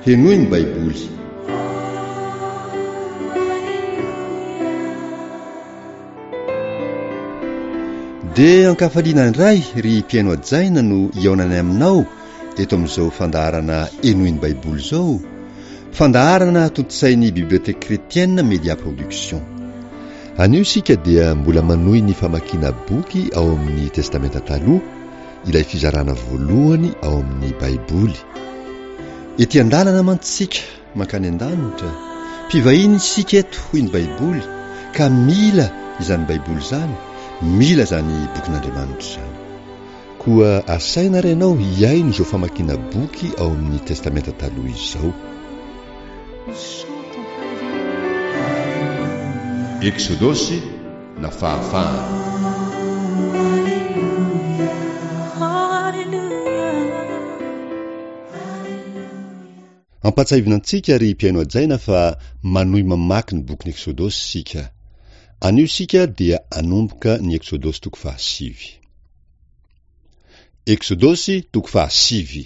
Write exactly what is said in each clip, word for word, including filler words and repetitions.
Henoy ny Baiboly. Dia ankafaliana indray ry mpihaino hajaina no hihaonanay aminao eto amin'izao fandaharana Henoy ny Baiboly izao, fandaharana tontosain'ny Bibliothèque Chrétienne Média Production. Anio isika dia mbola manohy ny famakiana boky ao amin'ny Testamenta Taloha, ilay fizarana voalohany ao amin'ny Baiboly. Ety an-dalana mantsy isika mankany an-danitra, mpivahiny isika eto hoy ny Baiboly, ka mila izany Baiboly izany, mila izany bokin'Andriamanitra izany. Koa asaina ary ianao hihaino izao famakiana boky ao amin'ny Testamenta Taloha izao. Eksodosy na fahafahana. Ampahatsiahivina antsika ry mpihaino hajaina fa manohy mamaky ny bokin'ny Eksodosy isika. Anio isika dia hanomboka ny Eksodosy toko fahasivy. Eksodosy toko fahasivy.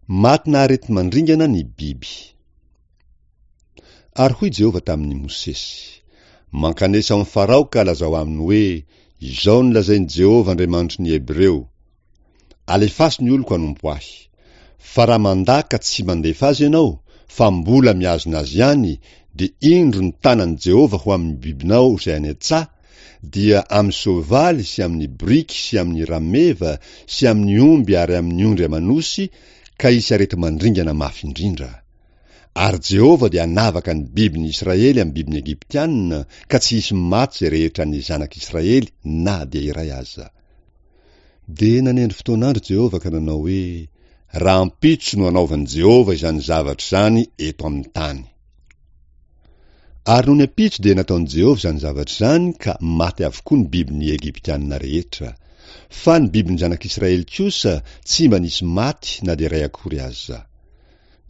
Matina areti-mandringana ny biby. Ary hoy Jehovah tamin'i Mosesy, Mankanesa ao amin'i Farao ka lazao aminy hoe, Izao no lazain'i Jehovah Andriamanitry ny Hebreo, Alefaso ny oloko hanompo ahy. Fa raha mandà ka tsy mandefa azy ianao, fa mbola mihazona azy ihany, dia indro ny tanan'i Jehovah ho amin'ny bibinao izay any an-tsaha, dia amin'ny soavaly sy amin'ny boriky sy amin'ny rameva sy amin'ny omby ary amin'ny ondry aman'osy, ka hisy areti-mandringana mafy indrindra. Ary Jehovah dia hanavaka ny bibin'ny Israely amin'ny bibin'ny Egyptiana, ka tsy hisy maty izay rehetra an'ny zanak'Israely na dia iray aza. Dia nanendry fotoan'andro Jehovah ka nanao hoe, Rahampitso no hanaovan'i Jehovah izany zavatra izany eto amin'ny tany. Ary nony ampitso dia nataon'i Jehovah izany zavatra izany ka maty avokoa ny bibin'ny Egyptiana rehetra. Fa ny bibin'ny zanak'Israely kosa tsy mba nisy maty na dia iray akory aza.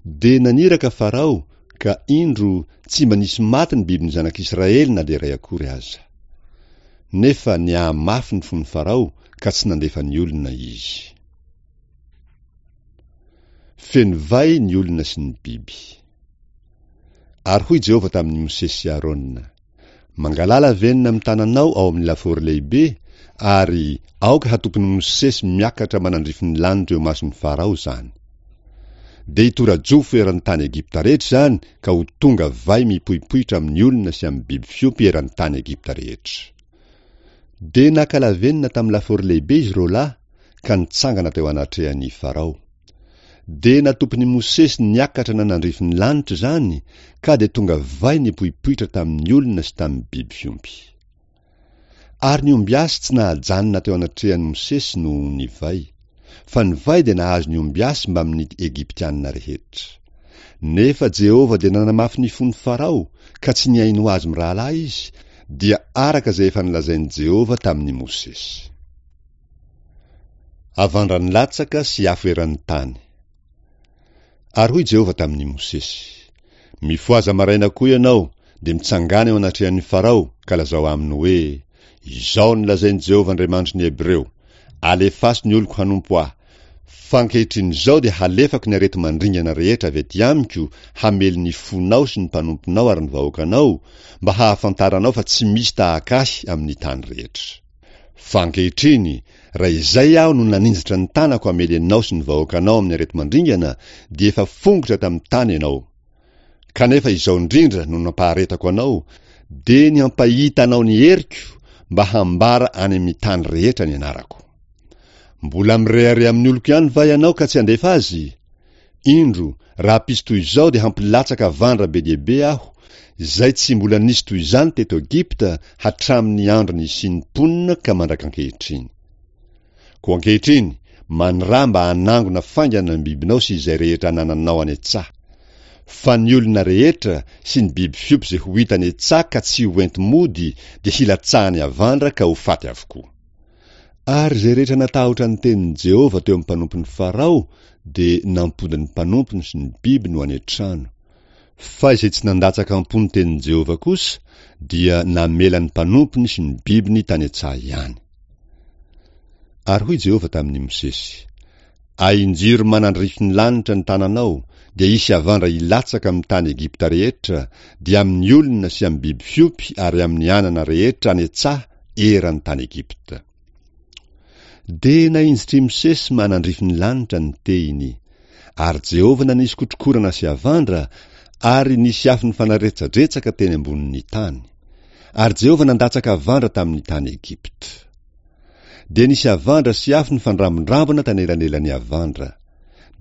Dia naniraka Farao, ka indro, tsy mba nisy maty ny bibin'ny zanak'Israely na dia iray akory aza. Nefa niahamafy ny fon'i Farao ka tsy nandefa ny olona izy. Feno vay ny olona sy ny biby. Ary hoy Jehovah tamin'i Mosesy sy Arona, Mangalà lavenona amin'ny tananao ao amin'ny lafaoro lehibe, ary aoka hatopin'i Mosesy miakatra manandrify ny lanitra eo imason'i Farao izany. Dia hitora-jofo eran'ny tany Egypta rehetra izany ka ho tonga vay mipoipoitra amin'ny olona sy amin'ny biby fiompy eran'ny tany Egypta rehetra. Dia naka lavenona tamin'ny lafaoro lehibe izy roa lahy ka nitsangana teo anatrehan'i Farao. Dia natopin'i Mosesy niakatra nanandrify ny lanitra izany, ka dia tonga vay nipoipoitra tamin'ny olona sy tamin'ny biby fiompy. Ary ny ombiasy tsy nahajanona teo anatrehan'i Mosesy noho ny vay, fa ny vay dia nahazo ny ombiasy mbamin'ny Egyptiana rehetra. Nefa Jehovah dia nanamafy ny fon'i Farao, ka tsy nihaino azy mirahalahy izy, dia araka izay efa nolazain'i Jehovah tamin'i Mosesy. Avandra nilatsaka sy afo eran'ny tany. Ary hoy Jehovah tamin'i Mosesy, Mifohaza maraina koa ianao, dia mitsangàna eo anatrehan'i Farao, ka lazao aminy hoe, Izao no lazain'i Jehovah Andriamanitry ny Hebreo, Alefaso ny oloko hanompo ahy, fa ankehitriny izao dia halefako ny areti-mandringana rehetra avy aty amiko hamely ny fonao sy ny mpanomponao ary ny vahoakanao, mba hahafantaranao fa tsy misy tahaka ahy amin'ny tany rehetra. Fa ankehitriny, raha izay aho no naninjitra ny tanako hamely anao sy ny vahoakanao amin'ny areti-mandringana, dia efa fongotra tamin'ny tany ianao. Kanefa izao indrindra no nampaharetako anao, dia ny hampahita anao ny heriko, mba hambara any amin'ny tany rehetra ny anarako. Mbola mirehareha amin'ny oloko ihany va ianao ka tsy handefa azy? Indro, rahampitso toy izao dia hampilatsaka havandra be dia be aho, izay tsy mbola nisy toy izany teto Egypta hatramin'ny andro nisian'ny mponina ka mandrak'ankehitriny. Koa ankehitriny, maniraha mba hanangona faingana ny bibinao sy izay rehetra anananao any an-tsaha. Fa ny olona rehetra sy ny biby fiompy izay ho hita any an-tsaha ka tsy ho enti-mody dia hilatsahan'ny havandra ka ho faty avokoa. Ary izay rehetra natahotra ny tenin'i Jehovah teo amin'ny mpanompon'i Farao dia nampody ny mpanompony sy ny bibiny ho any an-trano. Fa izay tsy nandatsaka am-po ny tenin'i Jehovah kosa dia namela ny mpanompony sy ny bibiny tany an-tsaha ihany. Ary hoy Jehovah tamin'i Mosesy, Ahinjiro manandrify ny lanitra ny tananao, dia hisy havandra hilatsaka amin'ny tany Egypta rehetra, dia amin'ny olona sy amin'ny biby fiompy ary amin'ny anana rehetra any an-tsaha eran'ny tany Egypta. Dia nahinjitr'i Mosesy manandrify ny lanitra ny tehiny. Ary Jehovah nanisy kotrokorana sy havandra, ary nisy afo nifanaretsadretsaka teny ambonin'ny tany. Ary Jehovah nandatsaka havandra tamin'ny tany Egypta. Dia nisy havandra sy afo nifandrambondrambona tanelanelan'ny havandra.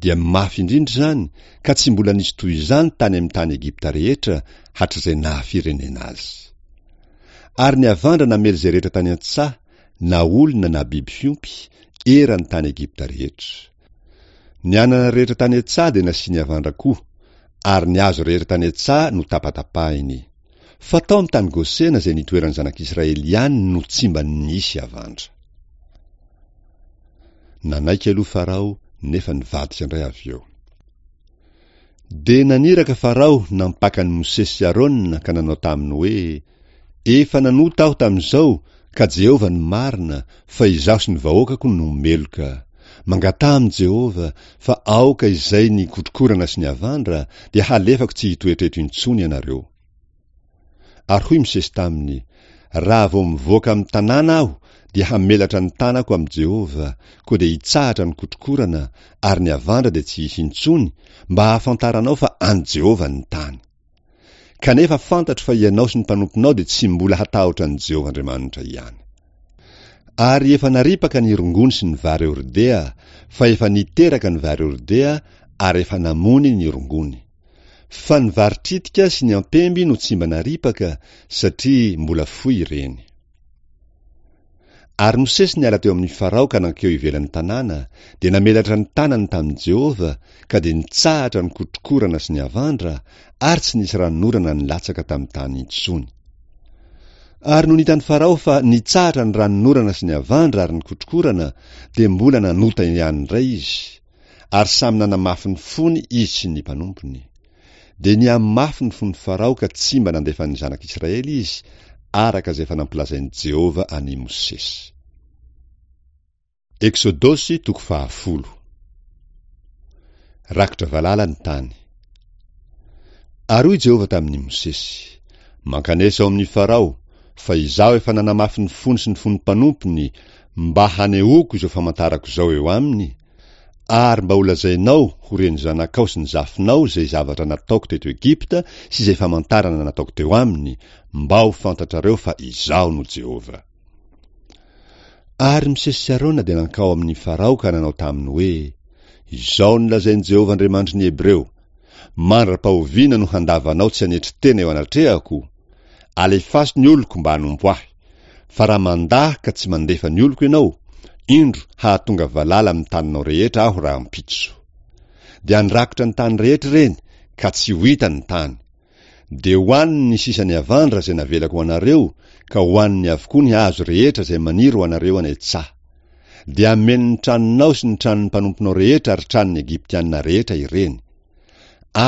Dia mafy indrindra izany, ka tsy mbola nisy toy izany tany amin'ny tany Egypta rehetra hatrizay naha-firenena azy. Ary ny havandra namely izay rehetra tany an-tsaha, na olona na biby fiompy, eran'ny tany Egypta rehetra. Ny anana rehetra tany an-tsaha dia nasiany havandra koa, ary ny hazo rehetra tany an-tsaha notapatapahiny. Fa tao amin'ny tany Gosena izay nitoeran'ny zanak'Israely ihany no tsy mba nisy havandra. Nanaiky aloha Farao, nefa nivadika indray avy eo. Dia naniraka Farao nampaka an'i Mosesy sy Arona ka nanao taminy hoe, Efa nanota aho tamin'izao, ka Jehovah no marina, fa izaho sy ny vahoakako no meloka. Mangataha amin'i Jehovah, fa aoka izay ny kotrokorana sy ny havandra, dia halefako tsy hitoetra eto intsony ianareo. Ary hoy Mosesy taminy, Raha vao mivoaka amin'ny tanàna aho, dia hamelatra ny tanako amin'i Jehovah, koa dia hitsahatra ny kotrokorana, ary ny havandra dia tsy hisy intsony, mba hahafantaranao fa an'i Jehovah ny tany. Kanefa fantatro fa ianao sy ny mpanomponao dia tsy mbola hatahotra an'i Jehovah Andriamanitra ihany. Ary efa naripaka ny rongony sy ny vary hordea, fa efa niteraka ny vary hordea ary efa namony ny rongony. Fa ny vary tritika sy ny ampemby no tsy mba naripaka, satria mbola fohy ireny. Ary Mosesy niala teo amin'i Farao ka nankeo ivelan'ny tanàna, dia namelatra ny tanany tamin'i Jehovah, ka dia nitsahatra ny kotrokorana sy ny havandra, ary tsy nisy ranonorana nilatsaka tamin'ny tany intsony. Ary nony hitan'i Farao fa nitsahatra ny ranonorana sy ny havandra ary ny kotrokorana, dia mbola nanota ihany indray izy, ary samy nanamafy ny fony izy sy ny mpanompony. Dia nihamafy ny fon'i Farao ka tsy mba nandefa ny zanak'Israely izy, araka izay efa nampilazain'i Jehovah an'i Mosesy. Eksodosy toko fahafolo. Rakotra valala ny tany. Ary hoy Jehovah tamin'i Mosesy, Mankanesa ao amin'i Farao, fa izaho efa nanamafy ny fony sy ny fon'ny mpanompony, mba hanehoako izao famantarako izao eo aminy, ary mba holazainao ho ren'ny zanakao sy ny zafinao izay zavatra nataoko teto Egypta sy izay famantarana nataoko teo aminy, mba ho fantatrareo fa Izaho no Jehovah. Ary Mosesy sy Arona dia nankao amin'i Farao ka nanao taminy hoe, Izao no lazain'i Jehovah Andriamanitry ny Hebreo, Mandra-pahoviana no handavanao tsy hanetry tena eo anatrehako? Alefaso ny oloko mba hanompo ahy. Fa raha mandà ka tsy mandefa ny oloko ianao, indro hahatonga valala amin'ny taninao rehetra aho rahampitso. Dia handrakotra ny tany rehetra ireny, ka tsy ho hita ny tany. Dia hohaniny ny sisan'ny havandra izay navelako ho anareo, ka hohaniny avokoa ny hazo rehetra izay maniry ho anareo any an-tsaha. Dia hameno ny tranonao sy ny tranon'ny mpanomponao rehetra ary tranon'ny Egyptiana rehetra ireny.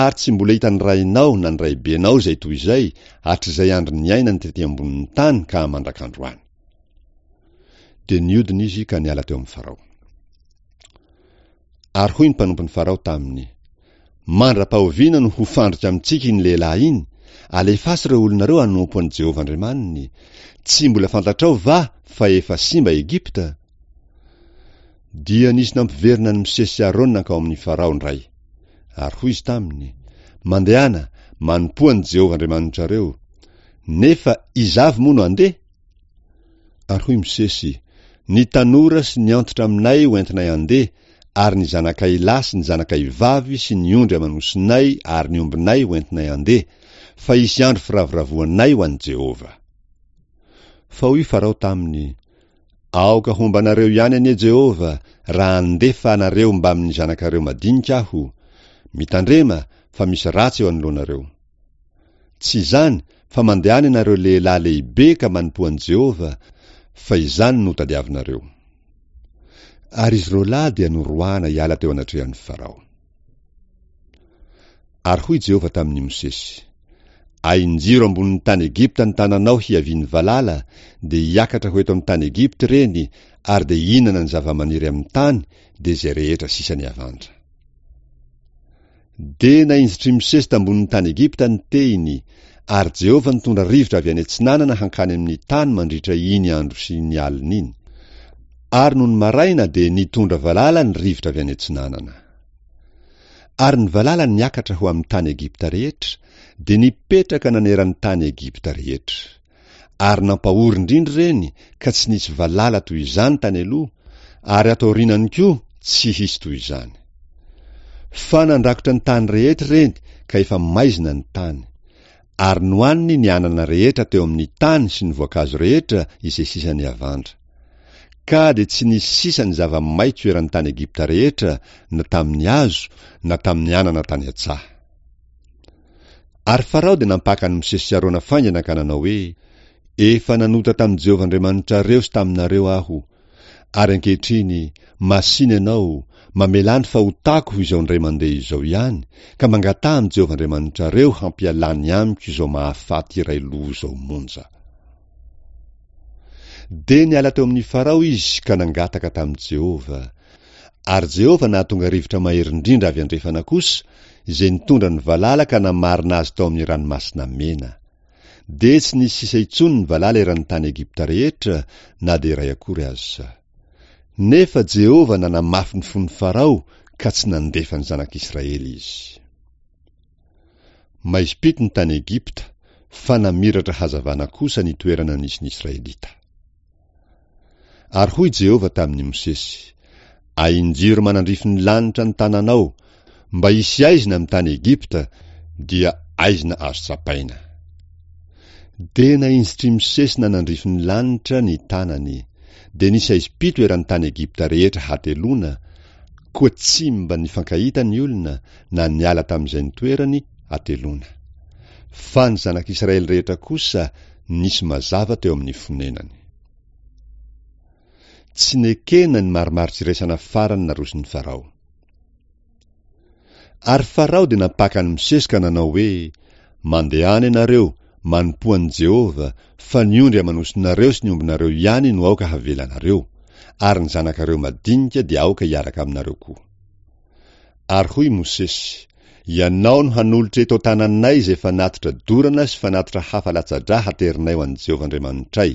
Ary tsy mbola hitan'ny rainao na ny raibenao izay toy izay hatrizay andro niainany tety ambonin'ny tany ka mandrak'androany. Dia niodina izy ka niala teo amin'i Farao. Ary hoy ny mpanompon'i Farao taminy, Mandra-pahoviana no ho fandrika amintsika iny lehilahy iny? Alefaso ireo olonareo hanompo an'i Jehovah Andriamaniny. Tsy mbola fantatrao va fa efa simba Egypta? Dia nisy nampiverina an'i Mosesy sy Arona nankao amin'i Farao indray. Ary hoy izy taminy, Mandehana, manompoa an'i Jehovah Andriamanitrareo. Nefa iza avy moa no handeha? Ary hoy Mosesy, Ny tanora sy ny antitra aminay ho entinay handeha, ary ny zanakay lahy sy ny zanakay vavy sy ny ondry aman'osinay ary ny ombinay ho entinay handeha, fa hisy andro firavoravoanay ho an'i Jehovah. Fa hoy Farao taminy, Aoka homba anareo ihany anie Jehovah, raha handefa anareo mbamin'ny zanakareo madinika aho. Mitandrema, fa misy ratsy eo anoloanareo. Tsy izany, fa mandehana ianareo lehilahy lehibe ka manompoa an'i Jehovah, fa izany no tadiavinareo. Ary izy roa lahy dia noroahana hiala teo anatrehan'i Farao. Ary hoy Jehovah tamin'i Mosesy, Ahinjiro ambonin'ny tany Egypta ny tananao hiavian'ny valala, dia hiakatra ho eto amin'ny tany Egypta ireny, ary dia hihinana ny zava-maniry amin'ny tany, dia izay rehetra sisa ny havandra. Dia nahinjitr'i Mosesy tambonin'ny tany Egypta ny tehiny, ary Jehovah nitondra rivotra avy any atsinanana hankany amin'ny tany mandritra iny andro sy ny alina iny. Ary nony maraina dia nitondra valala ny rivotra avy any atsinanana. Ary ny valala niakatra ho amin'ny tany Egypta rehetra, dia nipetraka naneran'ny tany Egypta rehetra. Ary nampahory indrindra ireny ka tsy nisy valala toy izany tany aloha, ary ato aorianany koa tsy hisy toy izany. Fa nandrakotra ny tany rehetra ireny ka efa maizina ny tany. Ary nohaniny ny anana rehetra teo amin'ny tany sy ny voankazo rehetra izay sisan'ny havandra. Ka dia tsy nisy sisa ny zava-maitso eran'ny tany Egypta rehetra, na tamin'ny hazo, na tamin'ny anana tany an-tsaha. Ary Farao dia nampaka an'i Mosesy sy Arona faingana ka nanao hoe, Efa nanota tamin'i Jehovah Andriamanitrareo sy taminareo aho. Ary ankehitriny, masìna ianao, mamelà ny fahotako ho izao indray mandeha izao ihany, ka mangataha amin'i Jehovah Andriamanitrareo hampialany amiko izao mahafaty iray loha izao monja. Dia niala teo amin'i Farao izy ka nangataka tamin'i Jehovah. Ary Jehovah nahatonga rivotra mahery indrindra avy andrefana kosa, izay nitondra ny valala ka namarina azy tao amin'ny ranomasina Mena. Dia tsy nisy sisa intsony ny valala eran'ny tany Egypta rehetra, na dia iray akory aza. Nefa Jehovah nanamafy ny fon'i Farao ka tsy nandefa ny zanak'Israely izy. Maizim-pito ny tany Egypta, fa namiratra hazavana kosa ny toerana nisy ny Israelita. Ary hoy Jehovah tamin'i Mosesy, Ahinjiro manandrify ny lanitra ny tananao, mba hisy aizina amin'ny tany Egypta, dia aizina azo tsapaina. Dia nahinjitr'i Mosesy nanandrify ny lanitra ny tanany, dia nisy aizim-pito eran'ny tany Egypta rehetra hateloana, koa tsy mba nifankahita ny olona na niala tamin'izay nitoerany hateloana. Fa ny zanak'Israely rehetra kosa nisy mazava teo amin'ny fonenany. Tsy nekena ny marimaritra farany naroson'i Farao. Ary Farao dia nampaka an'i Mosesy ka nanao hoe, Mandehana ianareo, manompoa an'i Jehovah, fa ny ondry aman'osinareo sy ny ombinareo ihany no aoka havelanareo, ary ny zanakareo madinika dia aoka hiaraka aminareo koa. Ary hoy Mosesy, Ianao no hanolotra eto an-tananay izay fanatitra dorana sy fanatitra hafa latsa-drà haterinay ho an'i Jehovah Andriamanitray.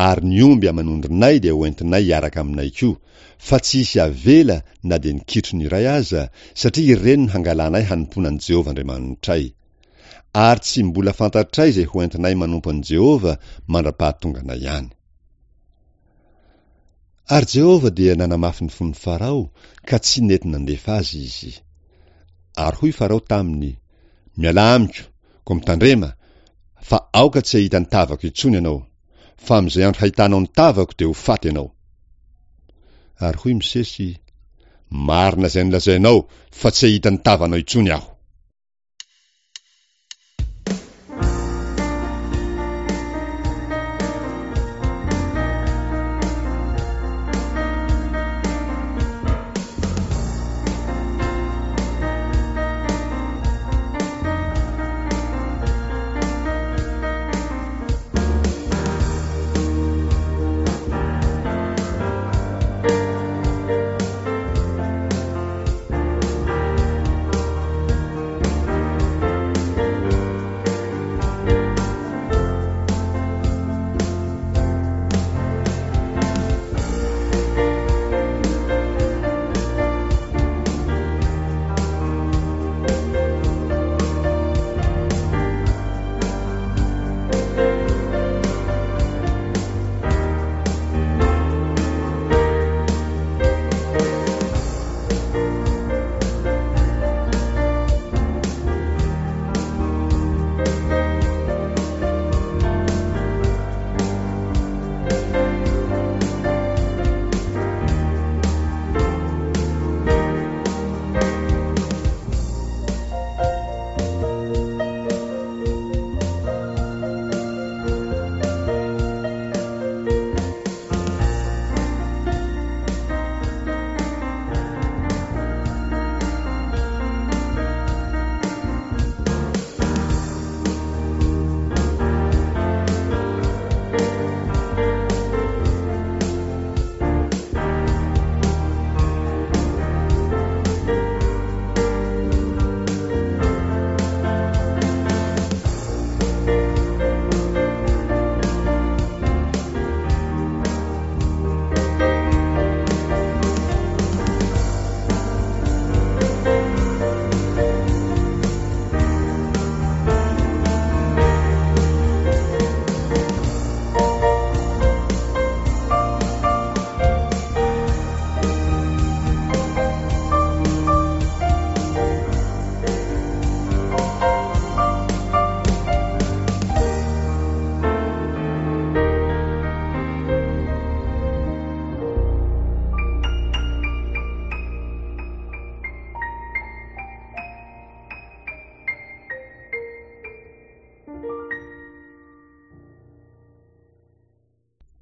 Ary ny omby aman'ondrinay dia hoentinay hiaraka aminay koa, fa tsy hisy avela na dia ny kitrony iray aza, satria ireny no hangalanay hanompoana an'i Jehovah Andriamanitray. Ary tsy mbola fantatray izay hoentinay manompo an'i Jehovah mandra-pahatonganay any. Ary Jehovah dia nanamafy ny fon'i Farao ka tsy nety nandefa azy izy. Ary hoy Farao taminy, Mialà amiko, koa mitandrema, fa aoka tsy hahita ny tavako intsony ianao, fa amin'izay andro hahitanao ny tavako dia ho faty ianao. Ary hoy Mosesy, Marina izay nolazainao, fa tsy hahita ny tavanao intsony aho.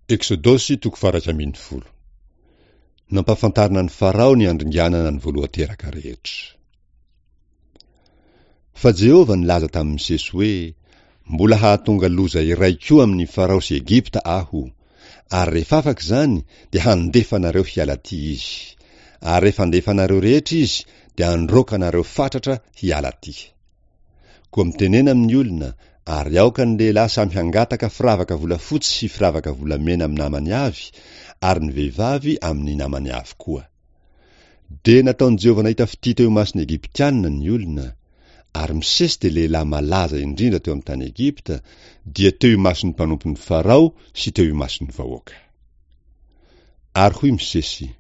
Eksodosy toko faha-iraika ambin'ny folo. Nampahafantarina an'i Farao ny handringanana ny voalohan-teraka rehetra. Fa Jehovah nilaza tamin'i Mosesy hoe, Mbola hahatonga loza iray koa amin'i Farao sy Egypta Aho, ary rehefa afaka izany, dia handefa anareo hiala aty izy. Ary rehefa handefa anareo rehetra izy, dia handroaka anareo fatratra hiala aty. Koa mitenena amin'ny olona, ary aoka ny lehilahy samy hangataka firavaka volafotsy sy firavaka volamena amin'ny namany avy, ary ny vehivavy amin'ny namany avy koa. Dia nataon'i Jehovah nahita fitia teo imason'ny Egyptiana ny olona, ary Mosesy dia lehilahy malaza indrindra teo amin'ny tany Egypta, dia teo imason'ny mpanompon'i Farao sy teo imason'ny vahoaka. Ary hoy Mosesy,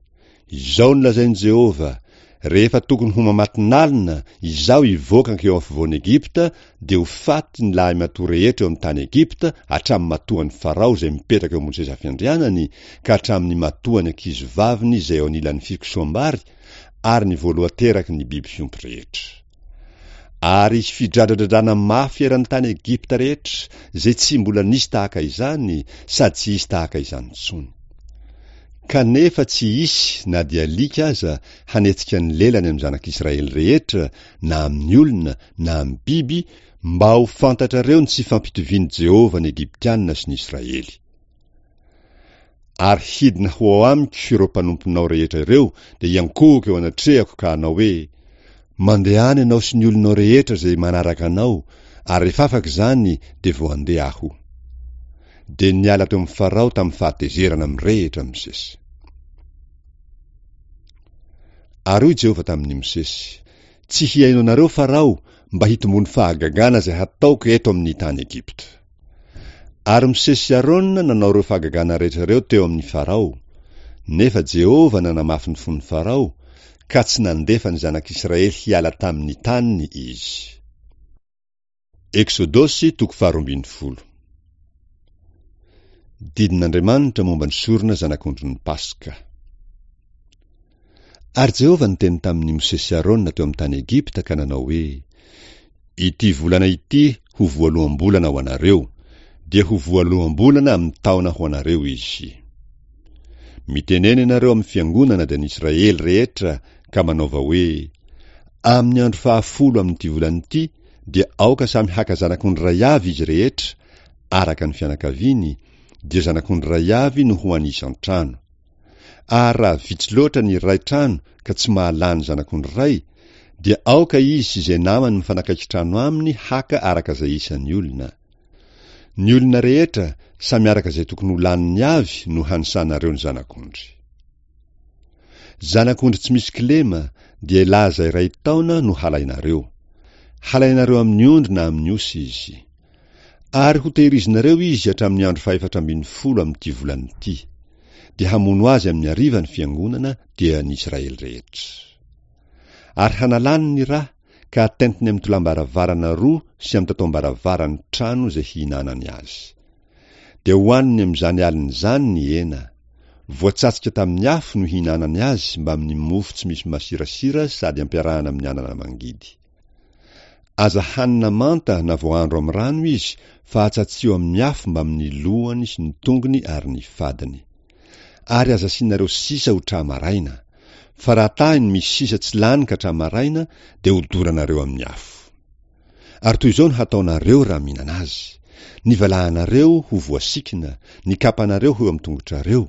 Izao no lazain'i Jehovah, Rehefa tokony ho mamatonalina, izaho hivoaka hankeo afovoan'i Egypta, dia ho faty ny lahimatoa rehetra eo amin'ny tany Egypta, hatramin'ny matoan'i Farao izay mipetraka eo ambony seza fiandrianany, ka hatramin'ny matoan'ny ankizivaviny izay eo anilan'ny fikosoham-bary, ary ny voalohan-teraky ny biby fiompy rehetra. Ary hisy fidradradradrana mafy eran'ny tany Egypta rehetra, izay tsy mbola nisy tahaka izany, sady tsy hisy tahaka izany intsony. Kanefa tsy hisy, na dia alika aza, hanetsika ny lelany amin'ny zanak'Israely rehetra, na amin'ny olona, na amin'ny biby, mba ho fantatrareo ny tsy fampitovian'i Jehovah ny Egyptiana sy ny Israely. Ary hidina ho ao amiko ireo mpanomponao rehetra ireo, dia hiankohoka eo anatrehako ka hanao hoe, Mandehana ianao sy ny olonao rehetra izay manaraka anao, ary rehefa afaka izany, dia vao handeha aho. Dia niala teo amin'i Farao tamin'ny fahatezerana mirehitra Mosesy. Ary hoy Jehovah tamin'i Mosesy, Tsy hihaino anareo Farao, mba hitomboan'ny fahagagana izay hataoko eto amin'ny tany Egypta. Ary Mosesy sy Arona nanao ireo fahagagana rehetra ireo teo amin'i Farao. Nefa Jehovah nanamafy ny fon'i Farao, ka tsy nandefa ny zanak'Israely hiala tamin'ny taniny izy. Eksodosy toko faharoa ambin'ny folo. Didin'Andriamanitra momba ny sorona zanak'ondrin'ny Paska. Ary Jehovah niteny tamin'i Mosesy sy Arona teo amin'ny tany Egypta ka nanao hoe, Ity volana ity ho voaloham-bolana ho anareo, dia ho voaloham-bolana amin'ny taona ho anareo izy. Mitenena ianareo amin'ny fiangonana dia ny Israely rehetra ka manaova hoe, Amin'ny andro fahafolo amin'ity volana ity dia aoka samy haka zanak'ondry iray avy izy rehetra, araka ny fianakaviany, dia zanak'ondry iray avy no ho an'ny isan-trano. Ary raha vitsy loatra ny iray trano ka tsy mahalany zanak'ondry iray, dia aoka izy sy izay namany mifanakaiky trano aminy haka araka izay isan'ny olona. Ny olona rehetra, samy araka izay tokony ho laniny avy no hanisanareo ny zanak'ondry. Zanak'ondry tsy misy kilema, dia laza iray taona no halainareo. Halainareo amin'ny ondry na amin'ny osy izy. Ary hotehirizinareo izy hatramin'ny andro fahefatra ambin'ny folo amin'ity volana ity. Dia hamono azy amin'ny hariva ny fiangonana, dia ny Israely rehetra. Ary hanalany ny ra, ka hatentiny amin'ny tolam-baravarana roa sy amin'ny tataom-baravaran'ny trano izay hihinanany azy. Dia hohaniny amin'izany alina izany ny hena. Voatsatsika tamin'ny afo no hihinanany azy mbamin'ny mofo tsy misy masirasira sady ampiarahana amin'ny anana mangidy. Aza hanina manta na voahandro amin'ny rano izy fa atsatsiho amin'ny afo mbamin'ny lohany sy ny tongony ary ny fadiny. Ary aza asianareo sisa ho tra-maraina. Fa raha tahiny misy sisa tsy lany ka tra-maraina dia hodoranareo amin'ny afo. Ary toy izao no hataonareo raha mihinana azy, ny valahanareo ho voasikina, ny kapanareo ho eo amin'ny tongotrareo,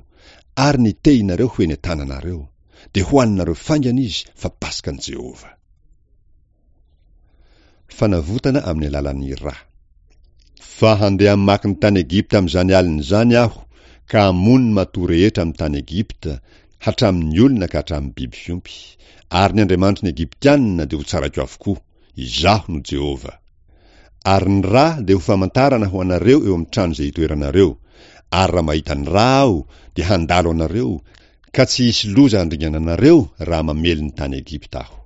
ary ny tehinareo ho eny an-tananareo. Dia hohaninareo faingana izy, fa Paskan'i Jehovah. Fanavotana amin'ny alalan'ny ra. Fa handeha hamaky ny tany Egypta amin'izany alina izany Aho, ka hamono ny matoa rehetra amin'ny tany Egypta, hatramin'ny olona ka hatramin'ny biby fiompy. Ary ny andriamanitry ny Egyptiana dia hotsaraiko avokoa. Izaho no Jehovah. Ary ny ra dia ho famantarana ho anareo eo amin'ny trano izay itoeranareo, ary raha mahita ny ra Aho, dia handalo anareo, ka tsy hisy loza handringana anareo raha mamely ny tany Egypta Aho.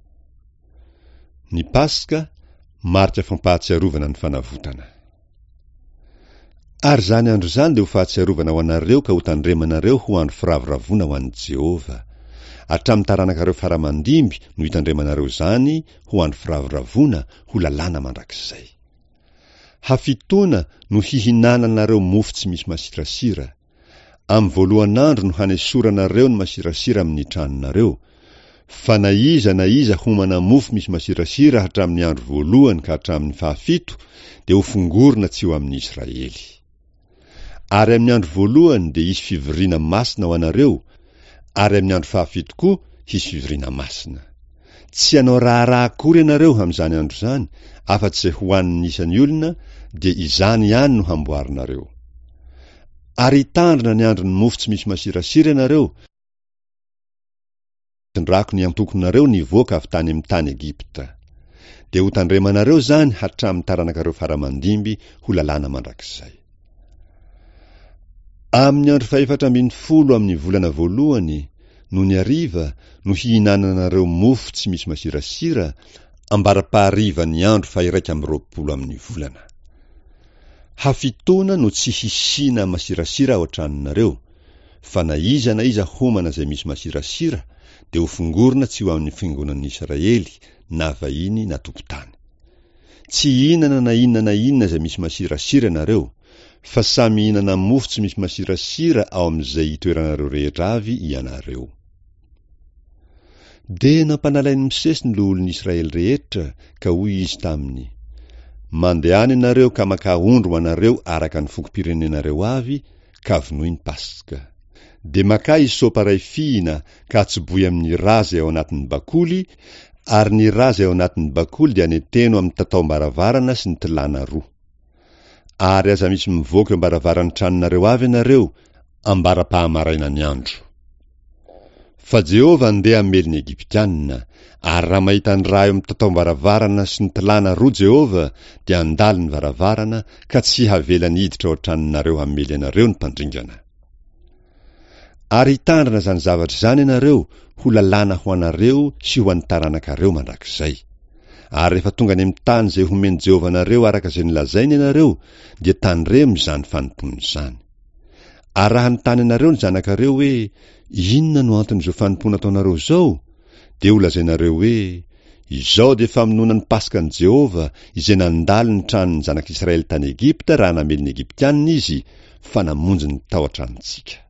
Ny Paska, marika fampahatsiarovana ny fanavotana. Ary izany andro izany dia ho fahatsiarovana ho anareo ka hotandremanareo ho andro firavoravoana ho an'i Jehovah. Hatramin'ny taranakareo fara aman-dimby no hitandremanareo izany ho andro firavoravoana, ho lalàna mandrakizay. Hafitoana no hihinananareo mofo tsy misy masirasira. Amin'ny voalohan'andro no hanesoranareo ny masirasira amin'ny tranonareo, fa na iza na iza homana mofo misy masirasira hatramin'ny andro voalohany ka hatramin'ny fahafito dia hofongorina tsy ho amin'ny Israely. Ary amin'ny andro voalohany dia hisy fivoriana masina ho anareo, ary amin'ny andro fahafito koa hisy fivoriana masina. Tsy hanao raharaha akory ianareo amin'izany andro izany, afa-tsy izay hohanin'ny isan'ny olona, dia izany ihany no hamboarinareo. Ary hitandrina ny andron'ny mofo tsy misy masirasira ianareo, nitondrako ny antokonareo nivoaka avy tany amin'ny tany Egypta. Dia hotandremanareo izany hatramin'ny taranakareo fara-mandimby ho lalàna mandrakizay. Amin'ny andro fahefatra ambin'ny folo amin'ny volana voalohany, nony hariva, no hihinananareo mofo tsy misy masirasira, ambara-paharivan'ny andro fahiraika amby roapolo amin'ny volana. Hafitoana no tsy hisiana masirasira ao an-tranonareo, fa na iza na iza homana izay misy masirasira dia hofongorina tsy ho amin'ny fiangonan'ny Israely, na vahiny na tompon-tany. Tsy hihinana na inona na inona izay misy masirasira ianareo, fa samy mihinana mofo tsy misy masirasira ao amin'izay itoeranareo rehetra avy ianareo. Dia nampanalain'i Mosesy ny loholon'ny Israely rehetra, ka hoy izy taminy, Mandehana ianareo ka makà ondry ho anareo araka ny fokom-pirenenareo avy, ka vonoy ny Paska. Dia makà hysopa iray fihina ka atsobohy amin'ny rà izay ao anatin'ny bakoly, ary ny rà izay ao anatin'ny bakoly dia aneteno amin'ny tataom-baravarana sy ny tilàna roa. Ary aza misy mivoaka eo am-baravaran'ny tranonareo avy ianareo ambara-pahamarainan'ny andro. Fa Jehovah andeha hamely ny Egyptiana, ary raha mahita ny rà eo amin'ny tataom-baravarana sy ny tilàna roa Jehovah, dia handalo ny varavarana ka tsy havelany hiditra ao an-tranonareo hamely anareo ny mpandringana. Ary hitandrina izany zavatra izany ianareo ho lalàna ho anareo sy ho an'ny taranakareo mandrakizay. Ary rehefa tonga any amin'ny tany izay homen'i Jehovah anareo araka izay nolazainy ianareo, dia tandremo izany fanompoana izany. Ary raha hanontany anareo ny zanakareo hoe, Inona no anton'izao fanompoana ataonareo izao? Dia holazainareo hoe, Izao dia famonoana ny Paskan'i Jehovah, izay nandalo ny tranon'ny zanak'Israely tany Egypta raha namely ny Egyptianina izy, fa namonjy ny tao an-tranontsika.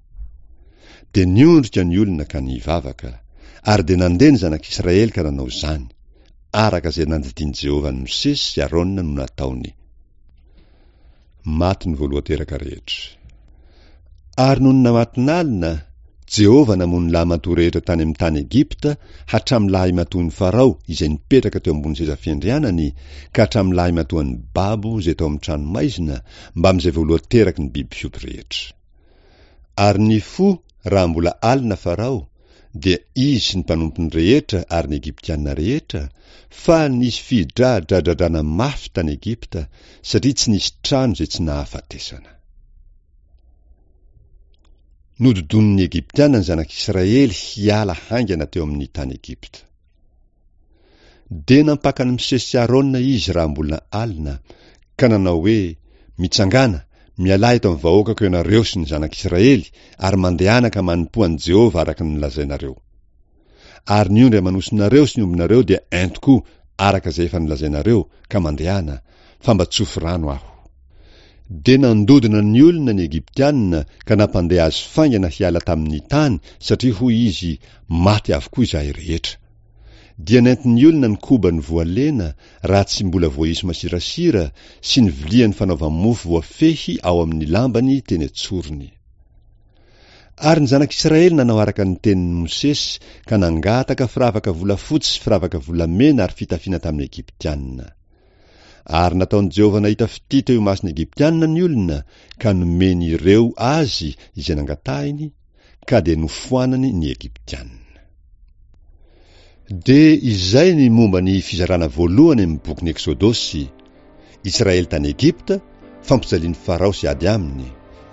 Dia niondrika ny olona ka nivavaka. Ary dia nandeha ny zanak'Israely ka nanao izany, araka izay nandidian'i Jehovah an'i Mosesy sy Arona no nataony. Maty ny voalohan-teraka rehetra. Ary nony namatonalina, Jehovah namono lahimatoa rehetra tany amin'ny tany Egypta, hatramin'ny lahimatoan'i Farao izay nipetraka teo ambony seza fiandrianany, ka hatramin'ny lahimatoan'ny babo izay tao amin'ny tranomaizina, mbamin'izay voalohan-teraky ny biby fiompy rehetra. Ary nifoha raha mbola alina Farao, dia izy sy ny mpanompony rehetra ary ny Egyptiana rehetra, fa nisy fidradradradrana mafy tany Egypta, satria tsy nisy trano izay tsy nahafatesana. Nododonin'ny Egyptiana ny zanak'Israely hiala haingana teo amin'ny tany Egypta. Dia nampaka an'i Mosesy sy Arona izy raha mbola alina, ka nanao hoe, Mitsangàna, mialà eto amin'ny vahoakako ianareo sy ny zanak'Israely, ary mandehana ka manompoa an'i Jehovah araka ny nolazainareo. Ary ny ondry aman'osinareo sy ny ombinareo dia ento koa araka izay efa nolazainareo, ka mandehana, fa mba tsofy rano aho. Dia nandodona ny olona ny Egyptiana ka nampandeha azy faingana hiala tamin'ny tany, satria hoy izy, Maty avokoa izahay rehetra. Dia nentin'ny olona ny kobany voalena raha tsy mbola voaisy masirasira sy ny viliany fanaova-mofo voafehy ao amin'ny lambany teny an-tsorony. Ary ny zanak'Israely nanao araka ny tenin'i Mosesy ka nangataka firavaka volafotsy sy firavaka volamena ary fitafiana tamin'ny Egyptiana. Ary nataon'i Jehovah nahita fitia teo imason'ny Egyptiana ny olona ka nomeny ireo azy izay nangatahiny, ka dia nofoanany ny Egyptiana. Dia izay ny momba ny fizarana voalohany amin'ny bokin'ny Eksodosy, Israely tany Egypta, fampijalian'i Farao sy ady aminy,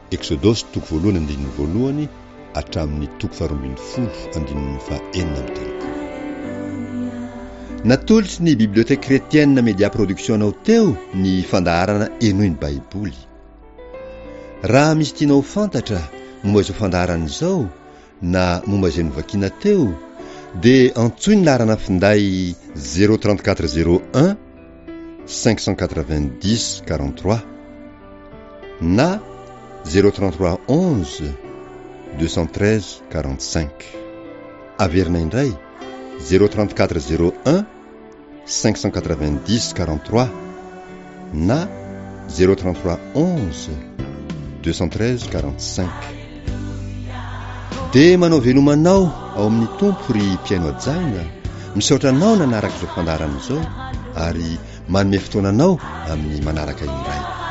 Eksodosy toko voalohany andininy voalohany hatramin'ny toko faharoa ambin'ny folo andininy faha enina amby telopolo. Natolotry ny Bibliothèque Chrétienne Media Production anao teo ny fandaharana Henoy ny Baiboly. Raha misy tianao ho fantatra momba izao fandaharana izao na momba izay novakiana teo, dia antsoy ny laharana finday zéro trente quatre zéro un cinq cent quatre-vingt-dix quarante-trois na zéro trente-trois onze deux cent treize quarante cinq. Averina indray, zéro trente quatre zéro un cinq cent quatre vingt dix quarante trois na zéro trente trois onze deux cent treize quarante cinq. Dia manao veloma anao ao amin'ny Tompo ry mpihaino hajaina, misaotra anao nanaraka izao fandaharana izao ary manome fotoana anao amin'ny manaraka indray.